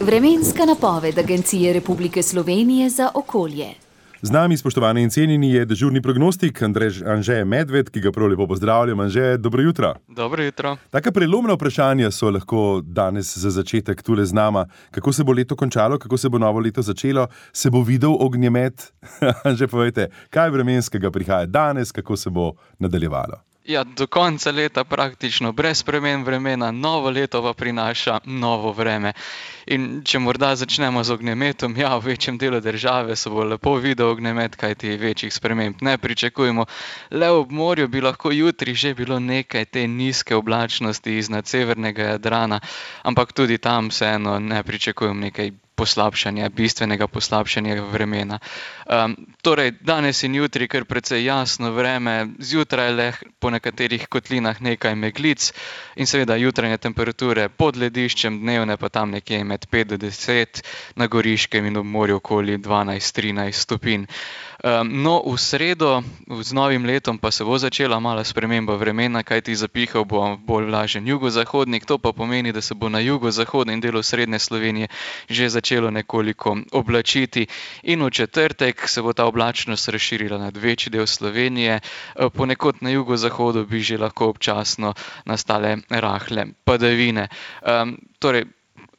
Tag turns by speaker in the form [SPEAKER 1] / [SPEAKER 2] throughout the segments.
[SPEAKER 1] Vremenska napoved Agencije Republike Slovenije za okolje.
[SPEAKER 2] Z nami, spoštovani in cenjeni, je dežurni prognostik Anže Medved, ki ga prav lepo pozdravljam. Anže, dobro jutro.
[SPEAKER 3] Dobro jutro.
[SPEAKER 2] Taka prelomna vprašanja so lahko danes za začetek tule z nama. Kako se bo leto končalo, kako se bo novo leto začelo, se bo videl ognjemet? Anže, povejte, kaj vremenskega prihaja danes, kako se bo nadaljevalo?
[SPEAKER 3] Ja, do konca leta praktično brez sprememb vremena, novo leto pa prinaša novo vreme. In če morda začnemo z ognjemetom, ja, v večjem delu države se bo lepo videl ognjemet, kajti večjih sprememb ne pričakujemo. Le ob morju bi lahko jutri že bilo nekaj te nizke oblačnosti iznad severnega Jadrana, ampak tudi tam vseeno ne pričakujem nekaj poslabšanja, bistvenega poslabšanja vremena. Torej, danes in jutri kar precej jasno vreme, zjutraj le po nekaterih kotlinah nekaj meglic in seveda jutranje temperature pod lediščem, dnevne pa tam nekje med 5 do 10, na Goriškem in ob morju okoli 12-13 stopinj. No, v sredo z novim letom pa se bo začela mala sprememba vremena, kajti zapihal bo bolj vlažen jugozahodnik, to pa pomeni, da se bo na jugozahodnem delu srednje Slovenije že začelo nekoliko oblačiti in v četrtek se bo ta oblačnost razširila nad večji del Slovenije, ponekod na jugozahodu bi že lahko občasno nastale rahle padavine. Torej,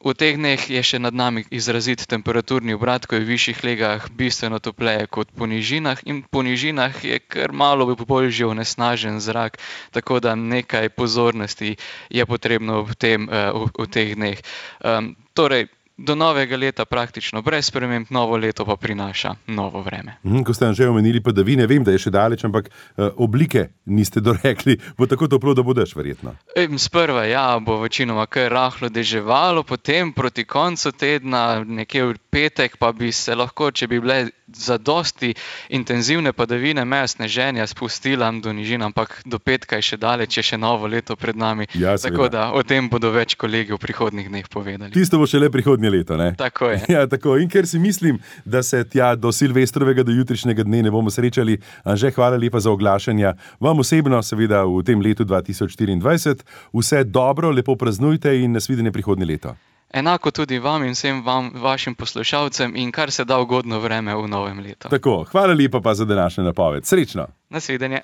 [SPEAKER 3] v teh dneh je še nad nami izrazit temperaturni obrat, ko je v višjih legah bistveno topleje kot po nižinah in po nižinah je kar malo bolj že onesnažen zrak, tako da nekaj pozornosti je potrebno v teh dneh. Torej, do novega leta praktično brez sprememb, novo leto pa prinaša novo vreme.
[SPEAKER 2] Ko ste že omenili padavine, vem, da je še daleč, ampak oblike niste dorekli. Bo tako toplo, da bo dež verjetno?
[SPEAKER 3] Sprva ja, bo večinoma kar rahlo deževalo, potem proti koncu tedna, nekje v petek, pa bi se lahko, če bi bile zadosti intenzivne padavine, meja sneženja spustila do nižin, ampak do petka je še daleč, je še novo leto pred nami.
[SPEAKER 2] Ja,
[SPEAKER 3] tako da o tem bodo več kolegi v prihodnjih dneh povedali.
[SPEAKER 2] Tisto bo šele prihodnje leto, ne?
[SPEAKER 3] Tako je.
[SPEAKER 2] Ja, tako. In ker si mislim, da se tja do Silvestrovega, do jutrišnjega dne ne bomo srečali, Anže, hvala lepa za oglašanja. Vam osebno, seveda v tem letu 2024, vse dobro, lepo praznujte in nasvidenje prihodnje leto.
[SPEAKER 3] Enako tudi vam in vsem vašim poslušalcem in kar se da ugodno vreme v novem letu.
[SPEAKER 2] Tako, hvala lepa pa za današnjo napoved. Srečno!
[SPEAKER 3] Nasvidenje!